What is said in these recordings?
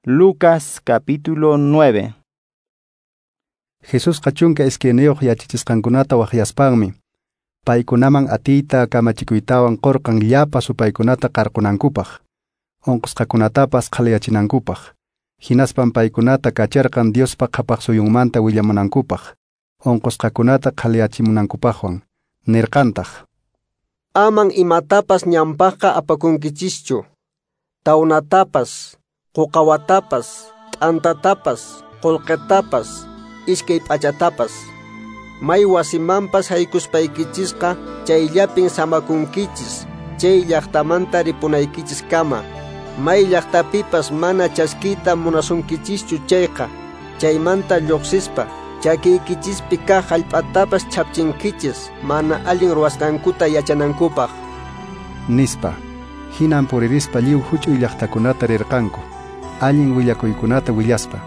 Lucas capítulo 9. Jesusqa 12 yachachisqankunata waqyaspanmi paykunaman atiyta kamachikuytawan qurqan llapa supaykunata qarqunankupaq, unqusqakunatapas qhaliyachinankupaq. Hinaspan paykunata kacharqan Diospa qhapaq suyunmanta willamunankupaq, unqusqakunata qhaliyachimunankupaqwan. Nirqantaq: Aman imatapas ñanpaqqa apakunkichischu, tawnatapas, quqawatapas, t'antatapas, qullqitapas, iskay p'achatapas. May wasimanpas haykuspaykichisqa chayllapin samakunkichis, chay llaqtamanta ripunaykichiskama. May llaqtapipas mana chaskiyta munasunkichischu chayqa, chaymanta lluqsispa chakiykichispi kaq hallp'atapas chhapchinkichis mana allin ruwasqankuta yachanankupaq. Nispa. Hinan puririspa lliw huch'uy llaqtakunata rirqanku, allin willakuykunata willaspa,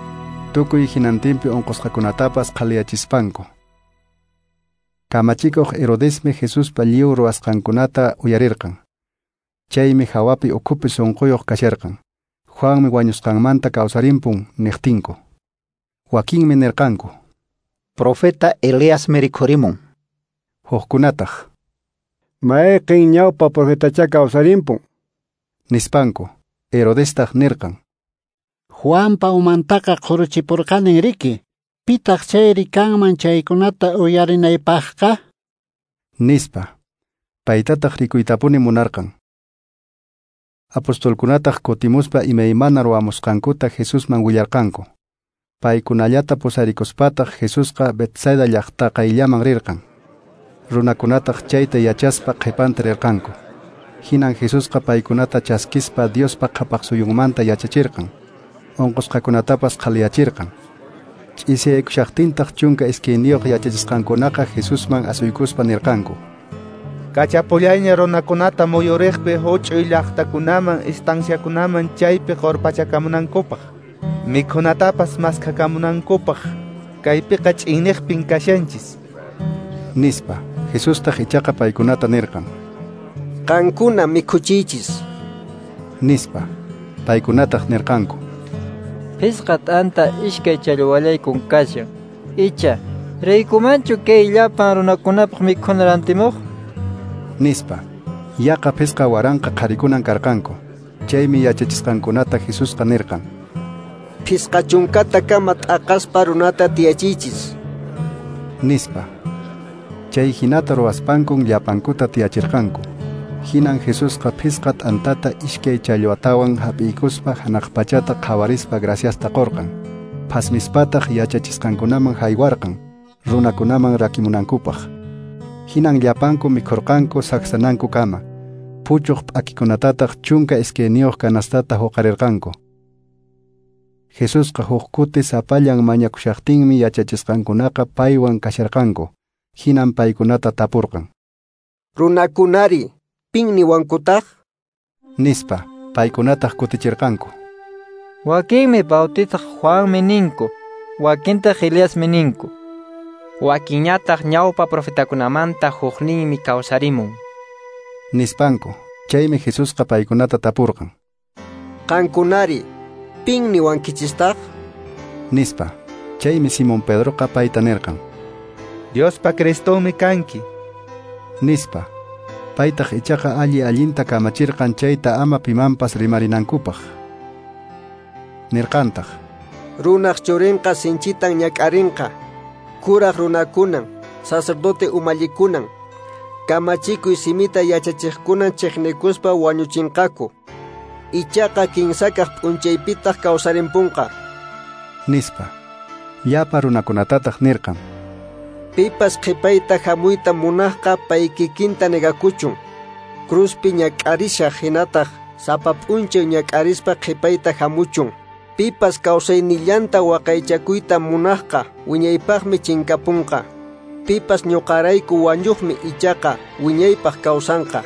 tukuy hinantinpi unqusqakunatapas qhaliyachispanku. Kamachikuq Herodesmi Jesuspa lliw ruwasqankunata uyarirqan. Chaymi hawapi ukhupi sunquyuq kasharqan. Juanmi wañusqanmanta kawsarimpun niqtinku. Wakinmi nirqanku: Profeta Eliasmi rikhurimun. Hukkunataq: Mayqin ñawpa profetacha kawsarimpun, nispanku. Herodestaq nirqan: Juanpa umantaqa qhuruchipurqanin riki. Pitaq chayri kanman chaykunata uyarinaypaqqa? Nispa. Paytataq rikuytapuni munarqan. Apostolkunataq kutimuspa imaymana ruwamusqankuta Jesusman willarqanku. Paykunallata pusarikuspataq Jesusqa Betsaida llaqta qayllaman rirqan. Runakunataq chayta yachaspa qhipanta rirqanku. Hinan Jesusqa paykunata chaskispa Diospa qhapaq suyunmanta yachachirqan. Unqusqakunatapas qhaliyachirqan. Ch'isiyaykushaqtintaq 12 yachachisqankunaqa Jesusman asuykuspa nirqanku: Kachapullayña runakunata muyuriqpi huch'uy llaqtakunaman estanciakunaman chaypi qurpachakamunankupaq, mikhunatapas maskhakamunankupaq, kaypiqa ch'inniqpin kashanchis, nispa. Jesustaq ichaqa paykunata nirqan: Qankuna mikhuchiychis, nispa. Paykunataq nirqanku: Phisqa t'anta iskay challwallaykun kashan. Icha, riykumanchu kay llapan runakunapaq mikhuna rantimuq? Nispa. Yaqa 5000 qharikunan karqanku. Chaymi yachachisqankunata Jesusqa nirqan: 50 kama t'aqaspa runata tiyachiychis, nispa. Chay hinata ruwaspankun llapankuta tiyachirqanku. Hinan Jesusqa phisqa t'antata iskay challwatawan hap'iykuspa hanaq pachata qhawarispa graciasta qurqan. Phasmispataq yachachisqankunaman haywarqan, runakunaman rakimunankupaq. Hinan llapanku mikhurqanku saksanankukama. Puchuq p'akikunatataq 12 kanastata huqarirqanku. Jesusqa huk kuti sapallan mañakushaqtinmi yachachisqankunaqa paywan kasharqanku. Hinan paykunata tapurqan: Runakunari, pin niwankutaq? Nispa. Paykunataq kutichirqanku: Wakinmi Bautizaq Juanmi ninku, wakintaq Eliasmi ninku, wakinñataq ñawpa profetakunamanta hukninmi kawsarimun, nispanku. Chaymi Jesusqa paykunata tapurqan: Qankunari, pin niwankichistaq? Nispa. Chaymi Simón Pedroqa payta nirqan: Diospa Cristonmi kanki, nispa. Paytaq ichaqa alli allinta kamachirqan chayta ama pimanpas rimarinankupaq. Nirqantaq: Runaq churinqa sinchitan ñak'arinqa, kuraq runakunan, sacerdote umallikunan, kamachikuy simita yachachiqkunan chiqnikuspa wañuchinqaku. Ichaqa kinsakaq p'unchaypitaq kawsarimpunqa, nispa. Llapa runakunatataq nirqan: Pipas qhipayta hamuyta munaqqa pay kikinta negakuchun, cruzpi ñak'arishaq hinataq sapa p'unchay ñak'arispa qhipayta hamuchun. Pipas kawsaynillanta waqaychakuyta munaqqa wiñaypaqmi chinkapunqa. Pipas ñuqarayku wañuqmi ichaqa wiñaypaq kawsanqa.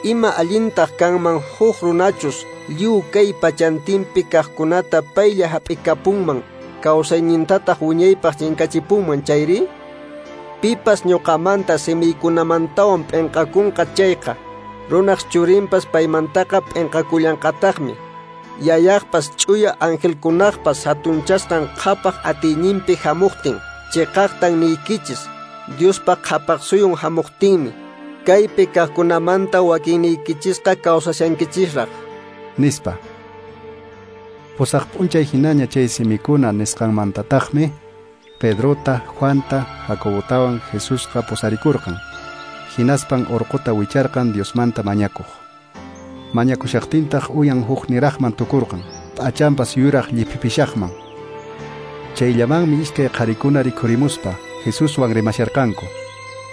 Ima allintaq kanman huk runachus lliw kay pachantinpi kaqkunata paylla hap'ikapunman, kawsaynintataq wiñaypaq chinkachipunman chayri? Pipas ñuqamanta simiykunamantawan p'inqakunqa chayqa, runaq churinpas paymantaqa p'inqakullanqataqmi. Yayaqpas ch'uya angelkunaqpas hatunchasqan qhapaq atiyninpi hamuqtin. Chiqaqtan niykichis, Diospa qhapaq suyun hamuqtinmi kaypi kaqkunamanta wakinniykichisqa kawsashankichisraq, nispa. Pusaq p'unchay hinaña chay simikuna nisqanmantataqmi Pedrota, Juanta, Jacobotawan Jesusqa pusarikurqan. Hinaspan urquta wicharqan Diosmanta mañakuq. Mañakushaqtintaq uyan huk niraqman tukurqan, p'achanpas yuraq lliphipishaqman. Chayllamanmi iskay qharikuna rikhurimuspa Jesuswan rimasharqanku.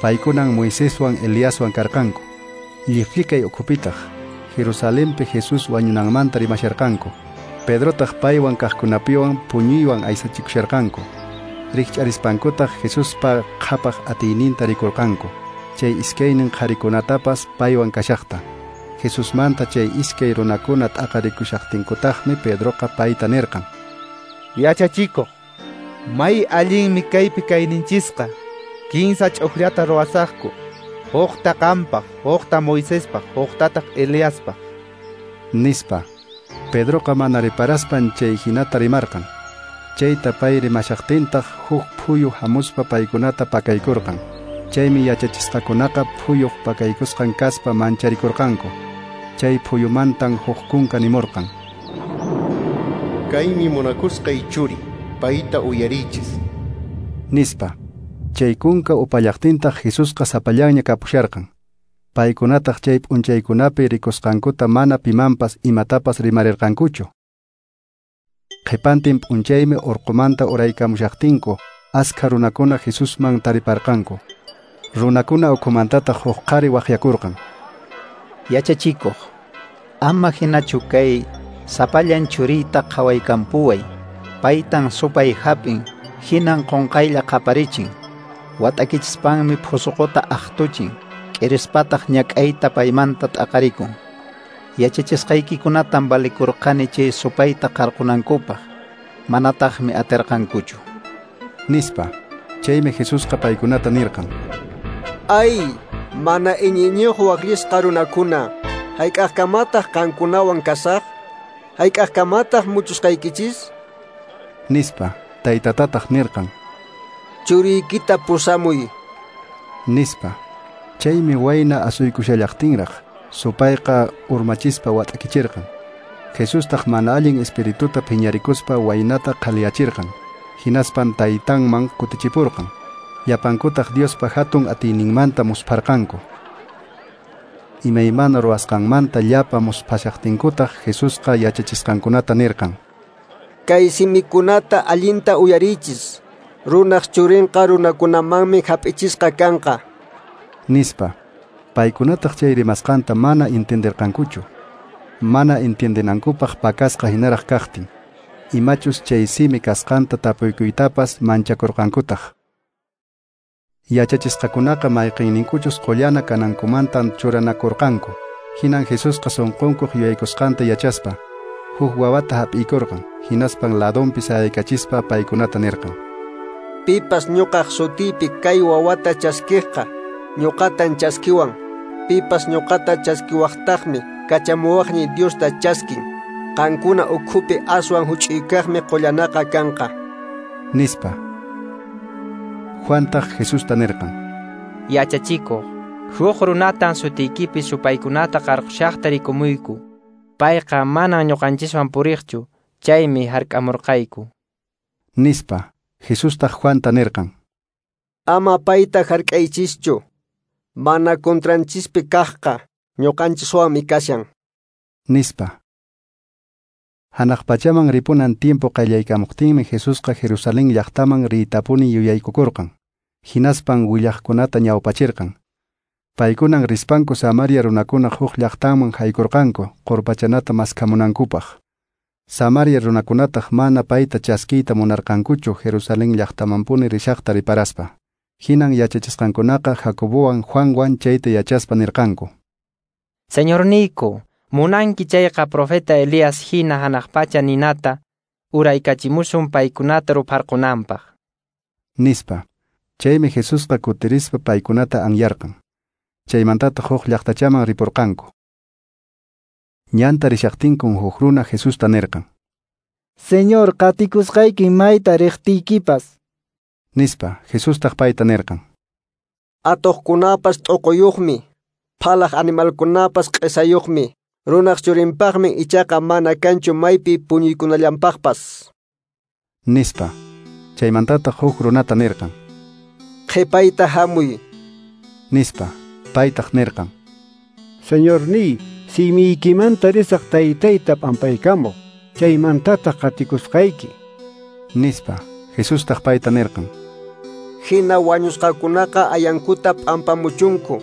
Paykunan Moiseswan Eliaswan karqanku. Lliphlikay ukhupitaq Jerusalenpi Jesús wañunanmanta rimasharqanku. Pedrotaq paywan kaqkunapiwan puñuywan aysachikusharqanku. Rikch'arispankutaq Jesuspa qhapaq atiyninta rikurqanku. Chay iskaynin qharikunatapas paywan kashaqta. Jesusmanta chay iskay runakuna t'aqarikushaqtinkutaqmi Pedroqa payta nirqan: Yachachikuq, may allinmi kaypi kayninchisqa. Kinsa ch'uqllata ruwasaqku. Huqta qampaq, huqta Moisespaq, huqtataq Eliaspaq, nispa. Pedroqa mana riparaspan chay hinata rimarqan. Chayta pay rimashaqtintaq huk phuyu hamuspa paykunata pakaykurqan. Chaymi yachachisqakunaqa phuyuq pakaykusqan kaspa mancharikurqanku. Chay phuyumantan huk kunka nimurqan: Kaymi munakusqay churi, payta uyariychis, nispa. Chay kunka upallaqtintaq Jesusqa sapallanña kapusharqan. Paykunataq chay p'unchaykunapi rikusqankuta mana pimanpas imatapas rimarirqankuchu. Qhipantin p'unchaymi urqumanta uraykamushaqtinku askha runakuna Jesusman tariparqanku. Runakuna ukhumantataq huk qhari waqyakurqan: Yachachikuq, ama hinachu kay sapallan churiyta qhawaykampuway. Paytan supay hap'in, hinan qunqaylla qaparichin. Wat'akichispanmi phusuquta aqtuchin, k'irispataq ñak'ayta paymanta t'aqarikun. Yachachisqaykikunatan valikurqani chay supayta qarqunankupaq, manataqmi atirqankuchu, nispa. Chaymi Jesusqa paykunata nirqan: Ay, mana iñiyniyuq waqllisqa runakuna, hayk'aqkamataq qankunawan kasaq? Hayk'aqkamataq muchusqaykichis? Nispa. Taytatataq nirqan: Churiykita pusamuy, nispa. Chaymi wayna asuykushallaqtinraq supayqa urmachispa wat'akichirqan. Jesustaq mana allin espirituta phiñarikuspa waynata qhaliyachirqan. Hinaspan taytanman kutichipurqan. Llapankutaq Diospa hatun atiyninmanta muspharqanku. Imaymana ruwasqanmanta llapa musphashaqtinkutaq Jesusqa yachachisqankunata nirqan: Kay simikunata allinta uyariychis. Runaq churinqa runakunamanmi hap'ichisqa kanqa, nispa. Paykunataq chay rimasqanta mana entenderqankuchu. Mana entiendenankupaq pakasqa hinaraq kaqtin. Imachus chay simi kasqanta tapuykuytapas manchakurqankutaq. Yachachisqakunaqa mayqinninkuchus qullana kanankumantan churanakurqanku. Hinan Jesusqa sunqunkuq yuyaykusqanta yachaspa huk wawata hap'iykurqan. Hinaspan ladonpi sayaykachispa paykunata nirqan: Pipas ñuqaq sutiypi kay wawata chaskiqqa, ñuqatan chaskiwan. Pipas ñuqata chaskiwaqtaqmi kachamuwaqniy Diosta chaskin. Qankuna ukhupi aswan huch'uykaqmi qullanaqa kanqa, nispa. Juantaq Jesusta nirqan: Yachachikuq, huk runatan sutiykipi supaykunata qarqushaqta rikumuyku. Payqa manan ñuqanchiswan puriqchu, chaymi hark'amurqayku, nispa. Jesustaq Juanta nirqan: Ama payta hark'aychischu. Mana contranchispi kaqqa ñuqanchiswanmi kashan, nispa. Hanaq pachaman ripunan tiempo qallaykamuqtinmi Jesusqa Jerusalén llaqtaman riytapuni yuyaykukurqan. Hinaspan willaqkunata ñawpachirqan. Paykunan rispanku Samaria runakuna huk llaqtaman haykurqanku qurpachanata maskhamunankupaq. Samaria runakunataq mana payta chaskiyta munarqankuchu Jerusalén llaqtamanpuni rishaqta riparaspa. Hinan yachachisqankunaqa Jacobowan Juanwan chayta yachaspa nirqanku: Señorniyku, munanki chayqa profeta Elías hina hanaq pacha ninata uraykachimusun paykunata rupharqunanpaq, nispa. Chaymi Jesusqa kutirispa paykunata anyarqan. Chaymantataq huk llaqtachaman ripurqanku. Ñanta rishaqtinkun huk runa Jesusta nirqan: Señor, qatikusqaykin mayta riqtiykipas. Nispa. Jesustaq payta nirqan: Atuqkunapas t'uquyuqmi, phalaq animalkunapas q'isayuqmi, runaq churinpaqmi ichaqa mana kanchu maypi puñuykunallanpaqpas. Nispa. Chaymantataq huk runata nirqan: Qhipayta hamuy. Nispa. Paytaq nirqan: Señorniy, simiykimanta risaq taytayta p'ampaykamuq, chaymantataq qatikusqayki. Nispa. Jesustaq payta nirqan: Hina wañusqakunaqa ayankuta p'ampamuchunku.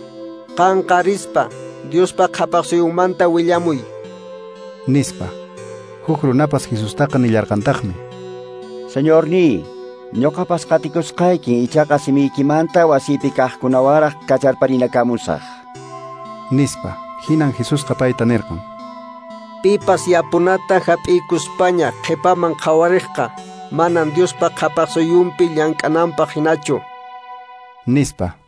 Qanqa rispa, Diospa qhapaqsuyunmanta willamuy. Nispa. Huk runapas Jesustaqa nillarqantaqmi: Señorniy, ñuqapas qatikusqaykin, ichaqa simiykimanta wasiypi kaqkunawaraq kacharparinakamusaq. Nispa. Hinan Jesusqa payta nirqan: Pipas yapunata hap'ikuspaña qhipaman qhawariqqa manan Diospa qhapaqsuyunpi llank'ananpaq hinachu. Nispa.